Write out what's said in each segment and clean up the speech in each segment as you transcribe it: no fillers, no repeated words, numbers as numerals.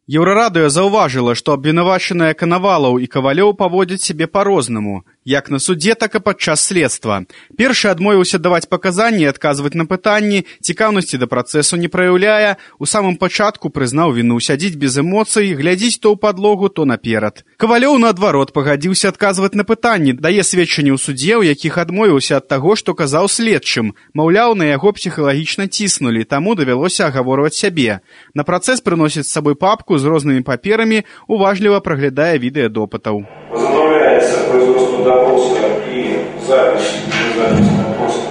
Еўрарадыё заўважыла, што абвінавачаныя Канавалаў і Кавалёў паводзяць сябе па-рознаму, як на судзе, так і падчас следства. Першы адмовіўся даваць паказанні і адказваць на пытанні, цікаўнасці да працэсу не праяўляе, у самым пачатку прызнаў віну, сядзіць без эмоцый, глядзіць то ў падлогу, то наперад. Кавалёў, наадварот, пагадзіўся адказваць на пытанні, дае сведчанні ў судзе, у якіх адмовіўся ад таго, што казаў следчым. Маўляў, на яго псіхалагічна ціснулі, таму давялося агаворваць сябе. На працэс прыносіць з сабой папку з рознымі паперамі, уважліва праглядае відэа допытаў. Возобновляется производство допроса и запись допроса.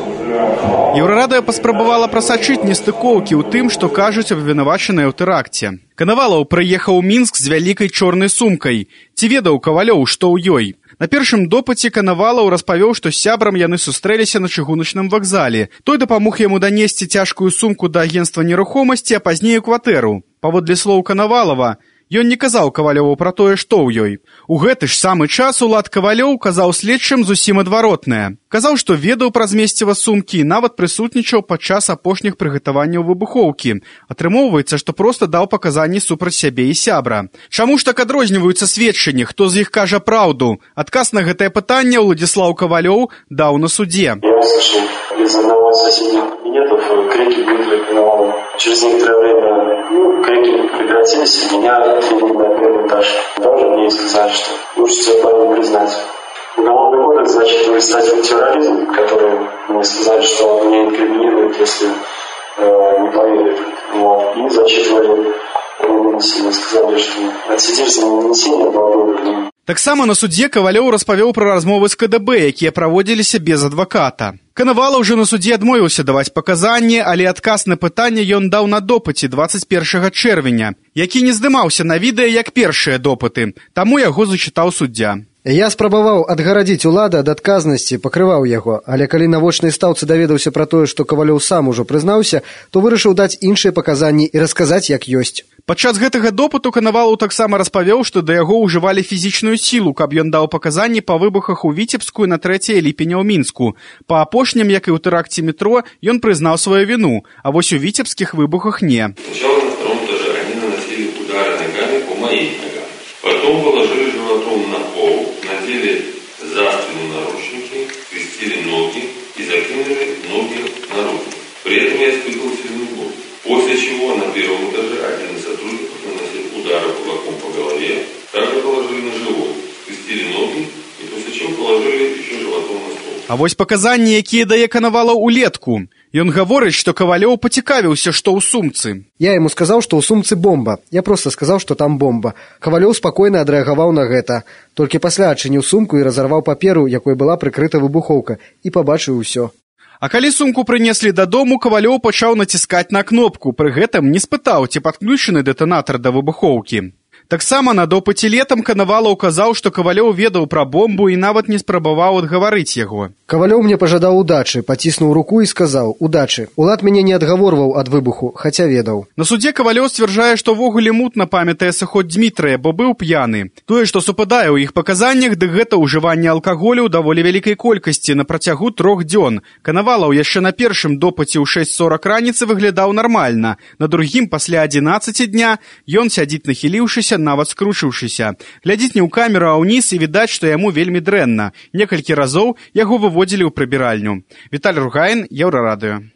Еўрарадыё паспрабавала прасачыць нестыкоўкі ў тым, што кажуць абвінавачаныя ў тэракце. Канавалаў прыехаў у Мінск з вялікай чорнай сумкай. Ці ведаў Кавалёў, што ў ёй? На першым допыце Канавалаў распавёў, што з сябрам яны сустрэліся на чыгуначным вакзале. Той дапамог яму данесці цяжкую сумку да агенцтва нерухомасці, а пазней у кватэру. Паводле слоў Канавалава, ён не казаў Кавалёву пра тое, што ў ёй. У гэты ж самы час Улад Кавалёў казаў следчым зусім адваротнае. Казаў, што ведаў пра змесціва сумкі і нават прысутнічаў падчас апошніх прыгатаванняў выбухоўкі. Атрымоўваецца, што проста даў паказанні супраць сябе і сябра. Чаму ж так адрозніваюцца сведчанні, хто з іх кажа праўду? Адказ на гэтае пытанне Уладзіслаў Кавалёў даў на судзе. Я услышал из одного из соседних кабинетов крики Дмитрия Коновалова. Через некоторое время крики прекратились, и меня отвели на первый этаж. Даже мне сказали, что лучше всего парень признать. Уголовный кодекс зачитывает статью терроризм, который мне сказали, что он меня инкриминирует, если не поверит. И зачитывали нанесение. Сказали, что отсидишь за нанесение было. Таксама на судзе Кавалёў распавёў пра размовы з КДБ, якія праводзіліся без адваката. Канавалаў жа на судзе адмовіўся даваць паказанні, але адказ на пытанне ён даў на допыце 21 чэрвеня, які не здымаўся на відэа як першыя допыты, таму яго зачытаў суддзя. Я спрабаваў адгарадзіць улада ад адказнасці, пакрываў яго, але калі на вочнай стаўцы даведаўся пра тое, што Кавалёў сам ужо прызнаўся, то вырашыў даць іншыя паказанні і расказаць, як ёсць. Падчас гэтага допыту Канавалаў таксама распавёў, што да яго ўжывалі фізічную сілу, каб ён даў паказанні па выбухах у Віцебску на 3 ліпеня ў Мінску. Па апошнім, як і ў тэракце метро, ён прызнаў сваю віну, а вось у віцебскіх выбухах не. Сначала на втором этаже они наносили удары ногами по моим ногам. Потом положили животом на пол, надели за спину наручники, скрестили ноги и закинули ноги наружу. При этом я испытывал сильную боль. После чего на первом этаже один из сотрудников наносил удары кулаком по голове, также положили на живот, скрестили ноги и после чего положили еще животом на стол. А вось паказанні, якія дае Канавалаў улетку. Ён гаворыць, што Кавалёў пацікавіўся, што ў сумцы. Я яму сказаў, што ў сумцы бомба. Я проста сказаў, што там бомба. Кавалёў спакойна адрэагаваў на гэта. Толькі пасля адчыніў сумку і разарваў паперу, якой была прыкрыта выбухоўка, і пабачыў усё. А калі сумку прынеслі дадому, Кавалёў пачаў націскаць на кнопку, пры гэтым не спытаў, ці падключаны дэтанатар да выбухоўкі. Таксама на допыце летам Канавалаў казаў, што Кавалёў ведаў пра бомбу і нават не спрабаваў адгаварыць яго. Кавалёў мне пажадаў удачы, паціснуў руку і сказаў: «Удачы». Улад мяне не адгаворваў ад выбуху, хаця ведаў. На судзе Кавалёў сцвярджае, што ввогуле мутна памятае сыход Дзмітрыя, бо быў п'яны. Тое, што супадае ў іх паказаннях, дык гэта ўжыванне алкаголю ў даволі вялікай колькасці на працягу 3 дзён. Канавалаў яшчэ на першым допыце ў 6:40 раніцы выглядаў нармальна. На другім, пасля 11 дня, ён сядзіць нахіліўшыся, нават скручыўшыся. Глядзіць не ў камеру, а ўніз, і відаць, што яму вельмі дрэнна. Некалькі разоў яго выводзілі ў прыбіральню. Віталь Ругаін, Еўрарадыё.